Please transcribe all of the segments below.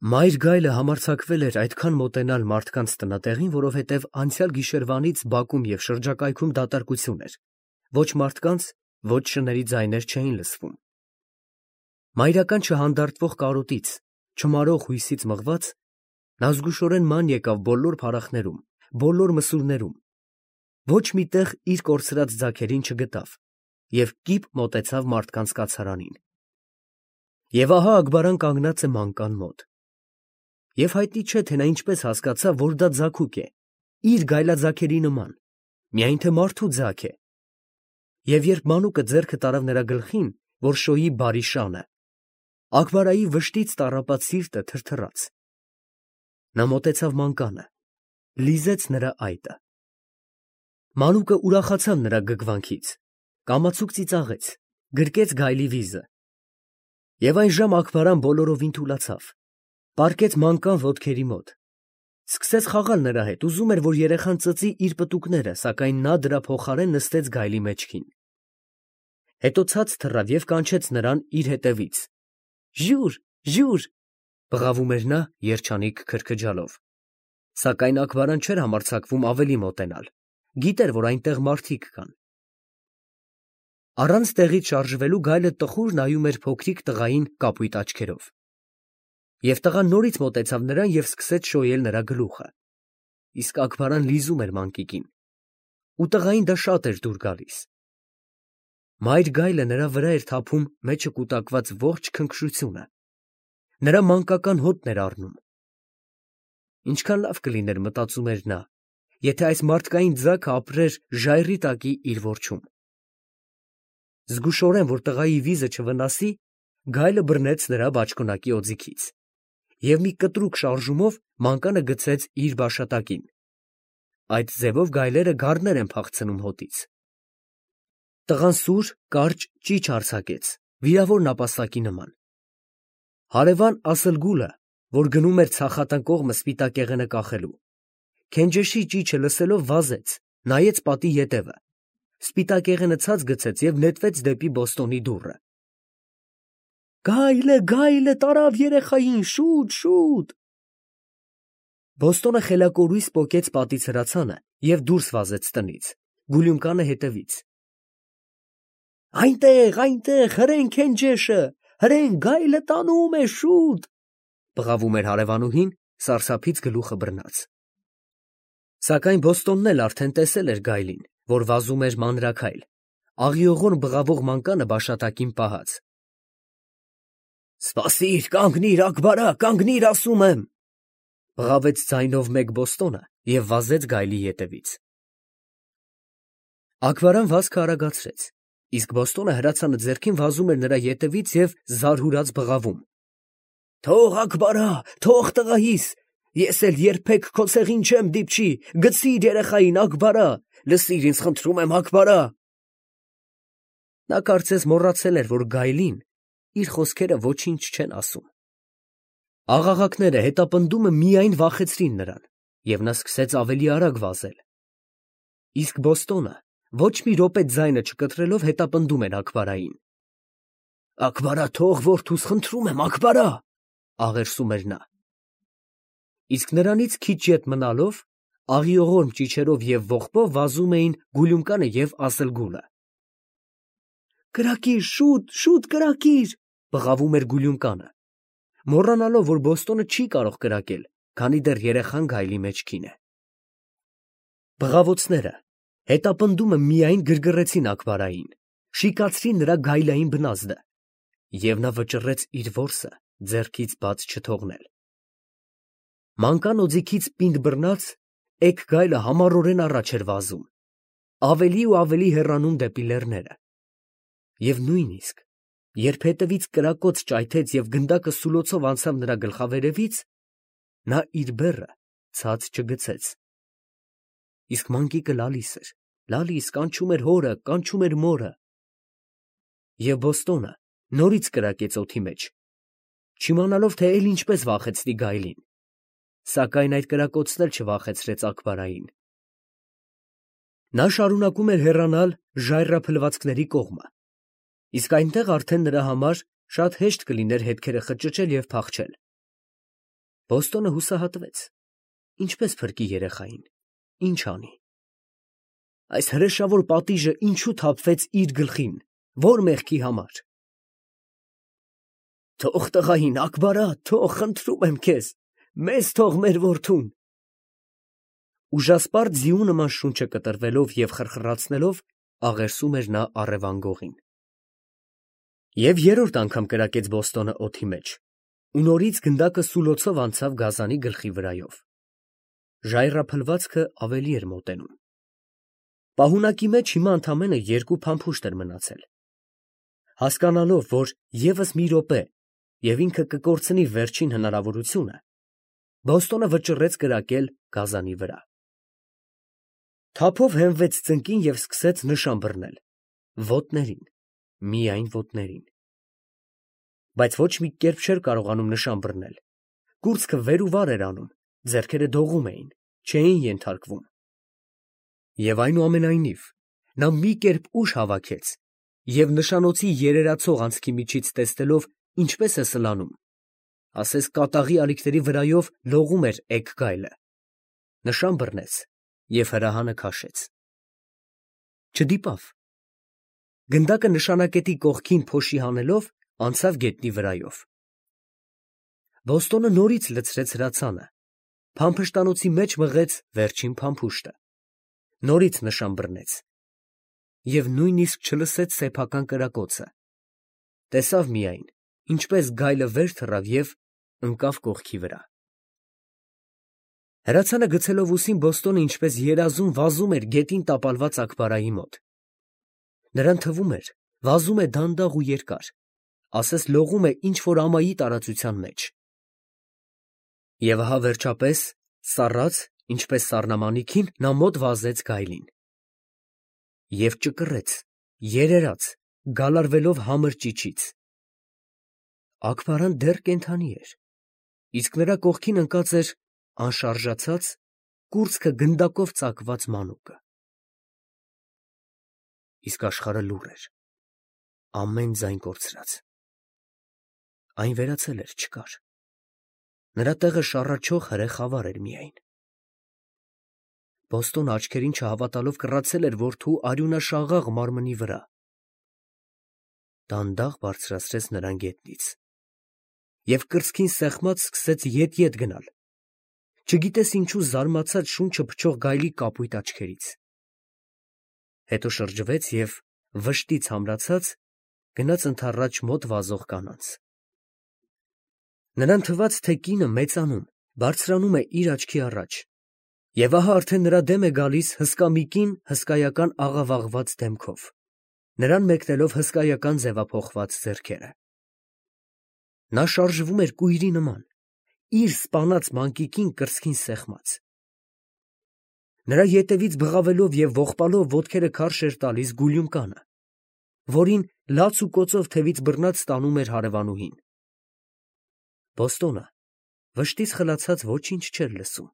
Մայր գայլը համարձակվել էր այդքան մոտենալ մարդկանց տնատեղին, որովհետև անցյալ գիշերվանից բակում և շրջակայքում դատարկություն էր. ոչ մարդկանց, ոչ շների ձայներ չէին լսվում։ Մայրական չհանդարտվող կարոտից, չմարող հույսից մղված, նա զգուշորեն ման եկավ բոլոր փարախներում, բոլոր մսուրներում, ոչ մի տեղ իր կորցրած ձագերին չգտավ և կիպ մոտեցավ մարդկանց կացարանին։ Եվ ահա Աքբարան կանգնած է մանկան մոտ։ Եվ հայտնի չէ, թե նա ինչպես հասկացավ, որ դա ձագուկ է, իր գայլաձագերի նման, միայն թե մարդու ձագ է։ Եվ երբ մանուկը ձեռքը տարավ նրա գլխին, որ շոյի բարի շանը, Աքբարայի վշտից տառապած սիրտը թրթռաց։ Նա մոտեցավ մանկանը, լիզեց նրա այտը։ Մանուկը ուրախացավ նրա գգվանքից, կամացուկ ծիծաղեց, գրկեց գայլի վիզը։ Եվ այն ժամ Աքբարան բոլորովին թուլացավ, պառկեց մանկան ոտքերի մոտ, սկսեց խաղալ նրա հետ, ուզում էր, որ երեխան ծծի իր պտուկները, սակայն նա դրա փոխարեն նստեց գայլի մեջքին։ Հետո ցած թռավ և կանչեց նրան իր հետևից։ «Ժուր, ժուր», բղավում էր նա երջանիկ քրքջալով։ Սակայն Աքբարան չէր համարձակվում ավելի մոտենալ, գիտեր, որ այնտեղ մարդիկ կան։ Առանց տեղից շարժվելու գայլը տխուր նայում էր փոքրիկ տղային կապույտ աչքերով։ Եվ տղան նորից մոտեցավ նրան և սկսեց շոյել նրա գլուխը։ Իսկ Աքբարան լիզում էր մանկիկին, ու տղային դա շատ էր դուր գալիս։ Մայր գայլը նրա վրա էր թափում մեջը կուտակված ողջ քնքշությունը, նրա մանկական հոտն էր առնում։ Ինչքան լավ կլիներ, մտածում էր նա, եթե այս մարդկային ձագը ապրեր ժայռի տակի իր որջում։ Զգուշորեն, որ տղայի վիզը չվնասի, գայլը բռնեց նրա բաճկոնակի օձիքից և մի կտրուկ շարժումով մանկանը գցեց իր բաշատակին։ Այդ ձևով գայլերը գառներ են փախցնում հոտից։ Տղան սուր, կարճ ճիչ արձակեց, վիրավոր նապաստակի նման։ Հարևան Ասլգուլը, որ գնում էր ցախատան կողմը սպիտակեղենը կախելու, քենջեշի ճիչը լսելով վազեց, նայեց պատի ետևը, սպիտակեղենը ցած գցեց և նետվեց դեպի Բոստոնի դուռը։ Գայլը տարավ երեխային, շուտ, շուտ։ Բոստոնը խելակորույս պոկեց պատից հրացանը և դուրս վազեց տնից, Գուլյումկանը հետևից։ Այնտեղ, հրեն քենջեշը, հրեն գայլը տանում է, շուտ, բղավում էր հարևանուհին, սարսափից գլուխը բռնած։ Սակայն Բոստոնն էլ արդեն տեսել էր գայլին, որ վազում էր մանրաքայլ, աղիողորմ բղավող մանկանը բաշատակին պահած։ Սպասիր, կանգնիր, Աքբարա, կանգնիր, ասում եմ, բղավեց ձայնով մեկ Բոստոնը և վազեց գայլի ետևից։ Աքբարան վազքը արագացրեց, իսկ Բոստոնը հրացանը ձեռքին վազում էր նրա ետևից և զարհուրած բղավում։ Թող, Աքբարա, թող տղայիս, ես էլ երբեք քո ցեղին չեմ դիպչի, գցիր երեխային, Աքբարա, լսիր ինձ, խնդրում եմ, Աքբարա։ Նա կարծես մոռացել էր, որ գայլին իր խոսքերը ոչինչ չեն ասում։ Աղաղակները, հետապնդումը միայն վախեցրին նրան, և նա սկսեց ավելի արագ վազել։ Իսկ Բոստոնը ոչ մի րոպե ձայնը չկտրելով հետապնդում էր Աքբարային։ Աքբարա, թող որդուս, խնդրում եմ, Աքբարա, աղերսում էր նա։ Իսկ նրանից քիչ ետ մնալով, աղիողորմ ճիչերով և ողբով վազում էին Գուլյումկանը և Ասլգուլը։ Կրակիր, շուտ կրակիր, բղավում էր Գուլյումկանը, մոռանալով, որ Բոստոնը չի կարող կրակել, քանի դեռ երեխան գայլի մեջքին է։ Բղավոցները, հետապնդումը միայն գրգռեցին Աքբարային, շիկացրին նրա գայլային բնազդը, և նա վճռեց իր որսը ձեռքից բաց չթողնել։ Մանկան օձիքից պինդ բռնած, էգ գայլը համառորեն առաջ էր վազում, ավելի ու ավելի հեռանում դեպի լեռները։ Եվ նույնիսկ, երբ հետևից կրակոց ճայթեց և գնդակը սուլոցով անցավ նրա գլխավերևից, նա իր բեռը ցած չգցեց։ Իսկ մանկիկը լալիս, կանչում էր հորը, կանչում էր մորը։ Եվ Բոստոնը նորից կրակեց օդի մեջ, չիմանալով, թե էլ ինչպես վախեցնի գայլին, սակայն այդ կրակոցն էլ չվախեցրեց Աքբարային։ Նա շարունակում էր հեռանալ ժայռափլվածքների կողմը, իսկ այնտեղ արդեն նրա համար շատ հեշտ կլիներ հետքերը խճճել և փախչել։ Բոստոնը հուսահատվեց. ինչպես փրկի երեխային, ինչ անի։ Այս հրեշավոր պատիժը ինչու թափվեց իր գլխին, որ մեղքի համար։ Թող տղային, Ակբարա, թող, խնդրում եմ քեզ, մեզ թող մեր որդուն։ Ուժասպառ ձիու նման շունչը կտրվելով և խրխրացնելով աղերսում էր նա առևան գողին։ Եվ երրորդ անգամ կրակեց Բոստոնը օդի մեջ, ու նորից գնդակը սուլոցով անցավ գազանի գլխի վրայով։ Ժայռափլվածքը ավելի էր մոտենում։ Պահունակի մեջ հիմա ընդամենը 2 փամփուշտ էր մնացել։ Հասկանալով, որ ևս մի րոպե, և ինքը կկորցնի վերջին հնարավորությունը, Բոստոնը վճռեց կրակել գազանի վրա։ Թափով հենվեց ծնկին և սկսեց նշան բռնել։ Ոտներին, միայն ոտներին։ Բայց ոչ մի կերպ չէր կարողանում նշան բռնել։ Կուրծքը վեր ու վար էր անում, ձեռքերը դողում էին, չէին ենթարկվում։ Եվ այնուամենայնիվ, նա մի կերպ ուժ հավաքեց և նշանոցի երերացող անցքի միջից տեսնելով ինչպես է սլանում, ասես կատաղի ալիքների վրայով լողում էր էգ գայլը, նշան բռնեց և հրահանը քաշեց։ Չդիպավ։ Գնդակը նշանակետի կողքին փոշի հանելով անցավ գետնի վրայով։ Բոստոնը նորից լցրեց հրացանը, փամփշտանոցի մեջ մղեց վերջին փամփուշտը, նորից նշան բռնեց և նույնիսկ չլսեց սեփական կրակոցը, տեսավ միայն, ինչպես գայլը վեր թռավ և ընկավ կողքի վրա։ Հրացանը գցելով ուսին Բոստոնը ինչպես երազում վազում էր գետին տապալված Ակբարայի մոտ։ Նրան թվում էր, վազում է դանդաղ ու երկար, ասես լողում է ինչ-որ ամայի տարածության մեջ։ Եվ ահա վերջապես, սառած, ինչպես սառնամանիքին, նա մոտ վազեց գայլին։ Եվ ճկռեց, երերաց, գալարվելով համր ճիչից։ Ակբարան դեռ կենդանի էր, իսկ նրա կողքին ընկած էր անշարժացած, կուրծքը գնդակով ծակված մանուկը։ Իսկ աշխարհը լուռ էր, ամեն ձայն կորցրած։ Այն վերացել էր, չկար։ Նրա տեղը շառաչող հրե խավար էր միայն։ Բոստոնը աչքերին չհավատալով կռացել էր որդու արյունաշաղախ մարմնի վրա։ Դանդաղ բարձրացրեց նրան գետնից և կրծքին սեղմած սկսեց ետ գնալ, չգիտես ինչու զարմացած շունչը փչող գայլի կապույտ աչքերից։ Հետո շրջվեց և, վշտից ամրացած, գնաց ընդառաջ մոտ վազող կանանց։ Նրան թվաց, թե կինը մեծանում, բարձրանում է իր աչքի առաջ, և ահա արդեն նրա դեմ է գալիս հսկա մի կին հսկայական աղավաղված դեմքով, նրան մեկնելով հսկայական ձևափոխված ձեռքերը։ Նա շարժվում էր կույրի նման, իր սպանած մանկիկին կրծքին սեղմած։ Նրա ետևից բղավելով և ողբալով ոտքերը քարշ էր տալիս Գուլյումկանը, որին լաց ու կոծով թևից բռնած տանում էր հարևանուհին։ Բոստոնը վշտից խլացած ոչինչ չէր լսում։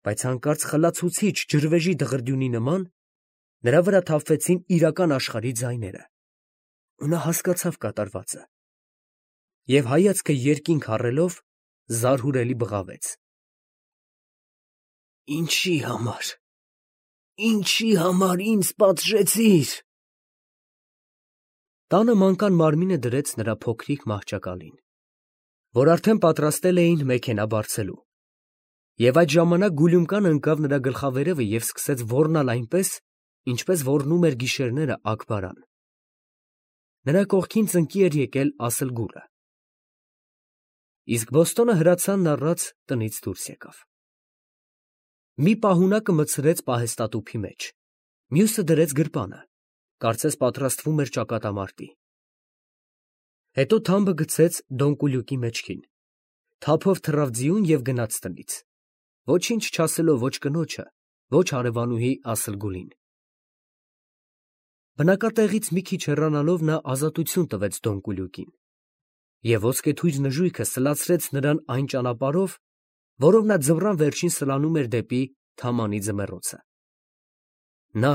Բայց հանկարծ խլացուցիչ ջրվեժի դղրդյունի նման նրա վրա թափվեցին իրական աշխարհի ձայները, ու նա հասկացավ կատարվածը և հայացքը երկինք առելով զարհուրելի բղավեց. Ինչի համար ինձ պատժեցիր։ Տանը մանկան մարմինը դրեց նրա փոքրիկ մահճակալին, որ արդեն պատրաստել էին մեքենա բարձելու, և այդ ժամանակ Գուլյումկանը ընկավ նրա գլխավերևը և սկսեց ոռնալ այնպես, ինչպես ոռնում էր գիշերները Ակբարան։ Նրա կողքին ծնկի էր եկել Ասլգուրը։ Իսկ Բոստոնը հրացանն առած տնից դուրս եկավ։ Մի պահունակը մտցրեց պահեստատուփի մեջ, մյուսը դրեց գրպանը, կարծես պատրաստվում էր ճակատամարտի։ Հետո թամբը գցեց դոնկուլյուկի մեջքին, թափով թռավ ձիուն և գնաց տնից, ոչինչ չասելով ոչ կնոջը, ոչ հարևանուհի Ասլգուլին։ Բնակատեղից մի քիչ հեռանալով նա ազատություն տվեց դոնկուլյուկին, և ոսկեթույր նժույգը սլացրեց նրան այն ճանապարհով, որով նա ձմռան վերջին սլանում էր դեպի Թամանի ձմեռոցը։ Նա,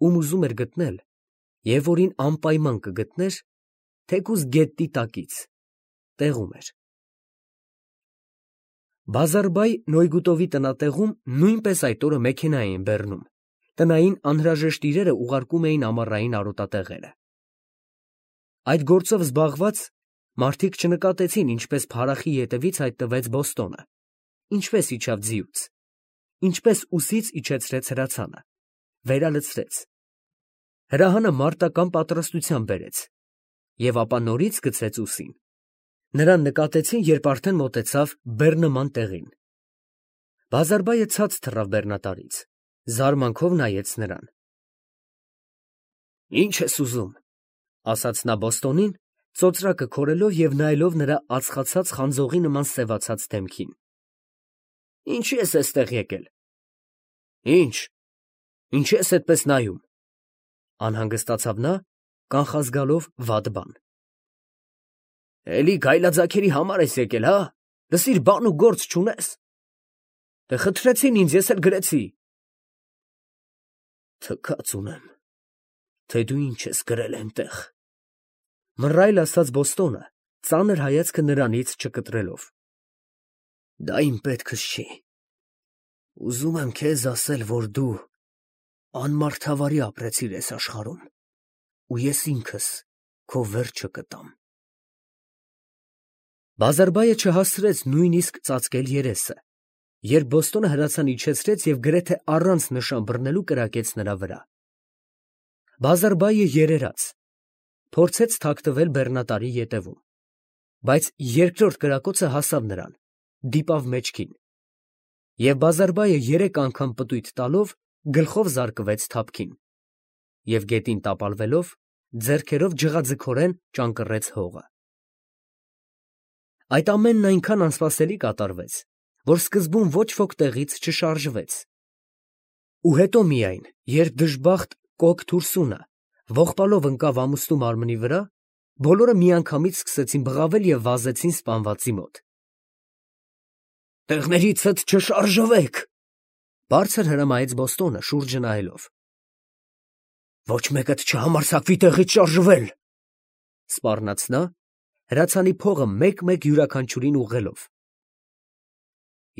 ում ուզում էր գտնել և որին անպայման կգտներ, թեկուզ գետնի տակից, տեղում էր։ Բազարբայ Նոյգուտովի տնատեղում նույնպես այդ օրը մեքենա էին բեռնում, տնային անհրաժեշտ իրերը ուղարկում էին ամառային արոտատեղերը։ Այդ գործով զբաղված մարդիկ չնկատեցին, ինչպես փարախի ետևից հայտնվեց Բոստոնը, ինչպես իջավ ձիուց, ինչպես ուսից իջեցրեց հրացանը, վերալցրեց, հրահանը մարտական պատրաստության բերեց և ապա նորից գցեց ուսին։ Նրան նկատեցին, երբ արդեն մոտեցավ բեռնման տեղին։ Բազարբայը ցած թռավ բեռնատարից, զարմանքով նայեց նրան։ «Ի՞նչ ես ուզում», ասաց նա Բոստոնին, ծոծրակը քորելով և նայելով նրա ածխացած խանձողի նման սևացած դեմքին։ «Ինչի ես էստեղ եկել»։ «Ի՞նչ, ինչի ես այդպես նայում», անհանգստացավ նա, կանխազգալով վատ բան։ «Էլի գայլաձագերի համար ես եկել, հա՞, լսիր, բան ու գործ չունես։ Դե խնդրեցին ինձ, ես էլ գրեցի»։ «Թքած ունեմ, թե դու ինչ ես գրել այնտեղ», մռայլ ասաց Բոստոնը, ծանր հայացքը նրանից չկտրելով։ «Դա իմ պետքս չի։ Ուզում եմ քեզ ասել, որ դու անմարդավարի ապրեցիր այս աշխարհում, ու ես ինքս քո վերջը կտամ»։ Բազարբայը չհասցրեց նույնիսկ ծածկել երեսը, երբ Բոստոնը հրացան իջեցրեց և գրեթե առանց նշան բռնելու կրակեց նրա վրա։ Բազարբայը երերաց, փորձեց թաքնվել բեռնատարի ետևում, բայց երկրորդ կրակոցը հասավ նրան, դիպավ մեջքին, և Բազարբայը 3 անգամ պտույտ տալով գլխով զարկվեց թափքին և գետին տապալվելով ձեռքերով ջղաձգորեն ճանկռեց հողը։ Այդ ամենն այնքան անսպասելի կատարվեց, որ սկզբում ոչ ոք տեղից չշարժվեց, ու հետո միայն, երբ դժբախտ կոկ թուրսունը ողբալով ընկավ ամուսնու մարմնի վրա, բոլորը միանգամից սկսեցին բղավել և վազեցին սպանվածի մոտ։ «Տեղներիցդ չշարժվեք», բարձր հրամայեց Բոստոնը, շուրջը նայելով։ «Ոչ մեկդ չհամարձակվի տեղից շարժվել», սպառնաց նա, հրացանի փողը մեկ-մեկ յուրաքանչյուրին ուղղելով։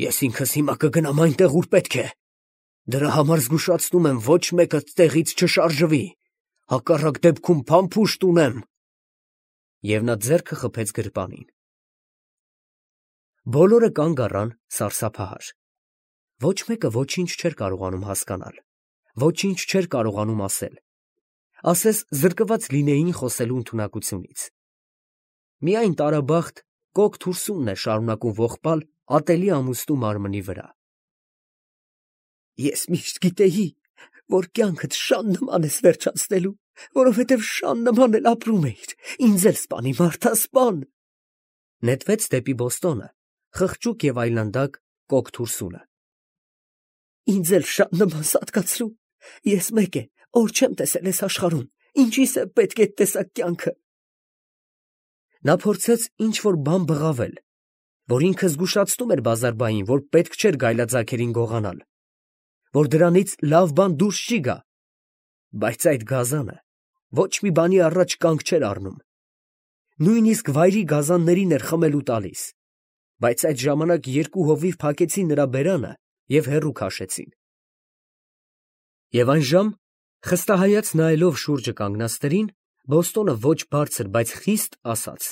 «Ես ինքս հիմա կգնամ այնտեղ, ուր պետք է։ Դրա համար զգուշացնում եմ, ոչ մեկդ տեղից չշարժվի, հակառակ դեպքում փամփուշտ ունեմ»։ Եվ նա ձեռքը խփեց գրպանին։ Բոլորը կանգ առան սարսափահար։ Ոչ մեկը ոչինչ չէր կարողանում հասկանալ, ոչինչ չէր կարողանում ասել, ասես զրկված լինեին խոսելու ընդունակությունից։ Միայն տարաբախտ կոկ թուրսունն էր շարունակում ողբալ ատելի ամուսնու մարմնի վրա։ «Ես միշտ գիտեի, որ կյանքդ շան նման ես վերջացնելու, որովհետև շան նման էլ ապրում էիր, ինձ էլ սպանի, մարդա, սպան»։ Նետվեց դեպի Բոստոնը, խղճուկ և այլանդակ կոկ թուրսունը։ «Ինձ էլ շան նման սատկացրու, ես մեկ է, օր չեմ տեսել այս աշխարհում, ինչիս է պետք այդ տեսակ կյանքը»։ Նա փորձեց ինչ-որ բան բղավել, որ ինքը զգուշացնում էր Բազարբային, որ պետք չէր գայլաձագերին գողանալ, որ դրանից լավ բան դուրս չի գա, բայց այդ գազանը ոչ մի բանի առաջ կանգ չէր առնում, նույնիսկ վայրի գազաններին էր խմելու տալիս, բայց այդ ժամանակ 2 հովիվ փակեցին նրա բերանը և հեռու քաշեցին։ Եվ այն ժամ, խստահայաց նայելով շուրջը կանգնածներին, Բոստոնը ոչ բարձր, բայց խիստ ասաց.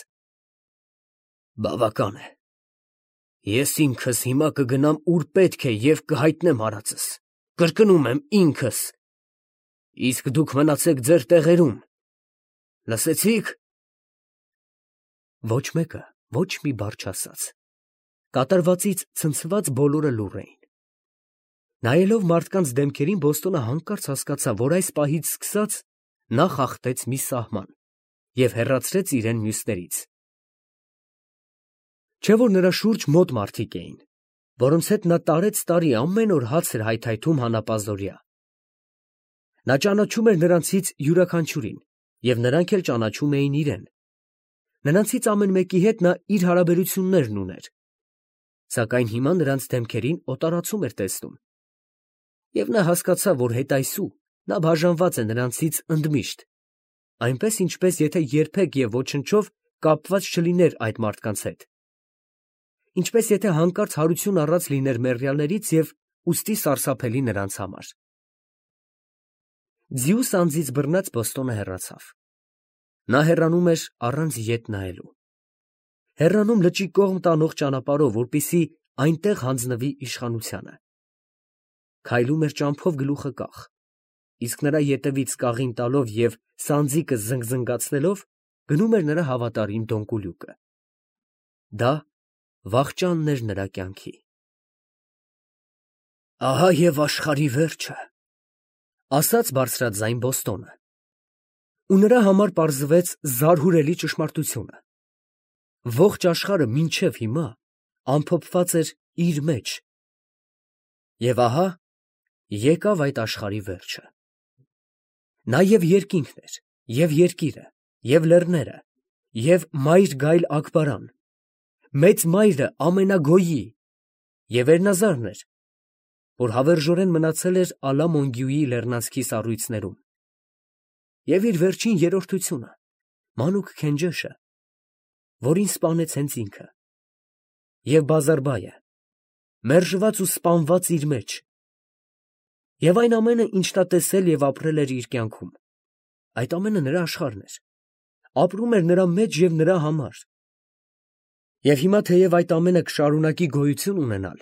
«Բավական է, ես ինքս հիմա կգնամ ուր պետք է և կհայտնեմ արածս, կրկնում եմ ինքս, իսկ դուք մնացեք ձեր տեղերում, լսեցի՞ք»։ Ոչ մեկը ոչ մի բառ չասաց, կատարվածից ցնցված բոլորը լուռ էին։ Նայելով մարդկանց դեմքերին, Բոստոնը հանկարծ հասկացավ, որ այս պահից սկսած նա խախտեց մի սահման և հեռացրեց իրեն մյուսներից։ Չէ՞ որ նրա շուրջ մոտ մարդիկ էին, որոնց հետ նա տարեց֊տարի ամեն օր հաց էր հայթայթում հանապազօրյա։ Նա ճանաչում էր նրանցից յուրաքանչյուրին, և նրանք էլ ճանաչում էին իրեն։ Նրանցից ամեն մեկի հետ նա իր հարաբերություններն ուներ, սակայն հիմա նրանց դեմքերին օտարացում էր տեսնում։ Եվ նա հասկացավ, որ հետայսու նա բաժանված է նրանցից ընդմիշտ, այնպես ինչպես եթե երբեք և ոչնչով կապված չլիներ այդ մարդկանց հետ։ ինչպես եթե հանկարծ հարություն առած լիներ մեռյալներից և ուստի սարսափելի նրանց համար։ Ձիուս անձից բռնած Բոստոնը հեռացավ։ Նա հեռանում էր առանց ետ նայելու։ Հեռանում լճի կողմ տանող ճանապարհով, որպեսզի այնտեղ հանձնվի իշխանությանը։ Քայլում էր ճամփով գլուխը կախ, իսկ նրա ետևից կաղին տալով և սանձիկը զնգզնգացնելով գնում էր նրա հավատարիմ Դոնկուլյուկը։ Դա վախճանն էր նրա կյանքի։ «Ահա և աշխարհի վերջը», ասաց բարձրաձայն Բոստոնը։ Ու նրա համար պարզվեց զարհուրելի ճշմարտությունը. ողջ աշխարհը մինչև հիմա ամփոփված էր իր մեջ։ Եվ ահա եկավ այդ աշխարհի վերջը։ Նա և երկինքն էր, և երկիրը, և լեռները, և մայր գայլ Աքբարան, մեծ մայրը ամենագոյի, և Էրնազարն էր, որ հավերժորեն մնացել էր Ալա Մոնգյուի լեռնանցքի սառույցներում, և իր վերջին երրորդությունը, մանուկ Քենջեշը, որին սպանեց հենց ինքը, և Բազարբայը, մերժված ու սպանված իր մեջ, և այն ամենը, ինչ նա տեսել և ապրել էր իր կյանքում, այդ ամենը նրա աշխարհն էր, ապրում էր նրա մեջ և նրա համար։ Եվ հիմա, թեև այդ ամենը կշարունակի գոյություն ունենալ,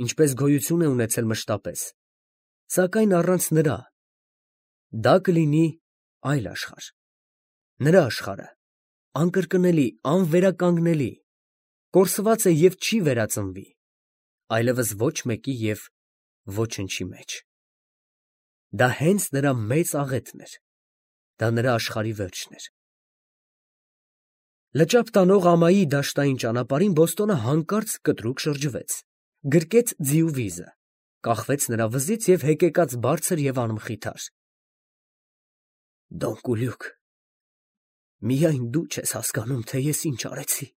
ինչպես գոյություն է ունեցել մշտապես, սակայն առանց նրա դա կլինի այլ աշխարհ, նրա աշխարհը, անկրկնելի, անվերականգնելի, կորսված է և չի վերածնվի, այլևս ոչ մեկի և ոչնչի մեջ։ Դա հենց նրա մեծ աղետն էր, դա նրա աշխարհի վերջն էր։ Լճափ տանող ամայի դաշտային ճանապարհին Բոստոնը հանկարծ կտրուկ շրջվեց, գրկեց ձիու վիզը, կախվեց նրա վզից և հեկեկաց բարձր և անմխիթար։ «Դոնկուլյուկ, միայն դու չես հասկանում, թե ես ինչ արեցի»,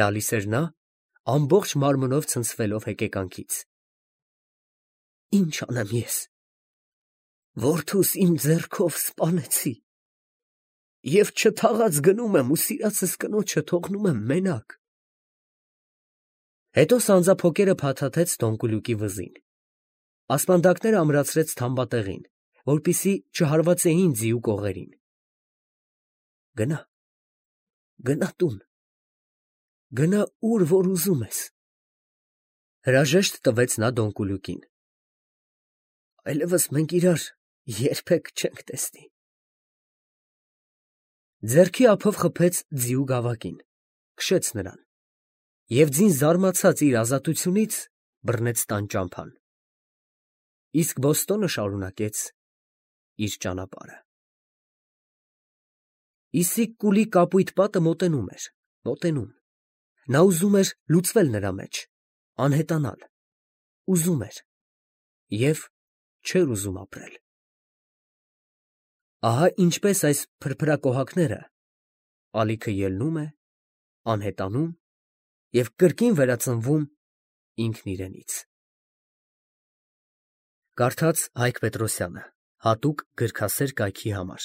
լալիս էր նա, ամբողջ մարմնով ցնցվելով հեկեկանքից։ «Ինչ անեմ ես, որդուս իմ ձեռքով սպանեցի, և չթաղած գնում եմ ու սիրածս կնոջը թողնում եմ մենակ»։ Հետո սանձափոկերը փաթաթեց Դոնկուլյուկի վզին, ասպանդակները ամրացրեց թամբատեղին, որպեսզի չհարվածեին ձիու կողերին։ «Գնա, գնա տուն, գնա ուր որ ուզում ես», հրաժեշտ տվեց նա Դոնկուլյուկին։ «Այլևս մենք իրար երբեք չենք տեսնի»։ Ձեռքի ափով խփեց ձիու գավակին, քշեց նրան և ձին զարմացած իր ազատությունից բռնեց տան ճամփան։ Իսկ Բոստոնը շարունակեց իր ճանապարհը։ Իսիկ կուլի կապույտ պատը մոտենում էր, մոտենում։ Նա ուզում էր լուծվել նրա մեջ, անհետանալ, ուզում էր և չէր ուզում ապրել։ Ահա ինչպես այս փրփրակոհակները ալիքը ելնում է, անհետանում և կրկին վերածնվում ինքն իրենից։ Կարդաց Հայկ Պետրոսյանը, հատուկ գրքասեր կայքի համար։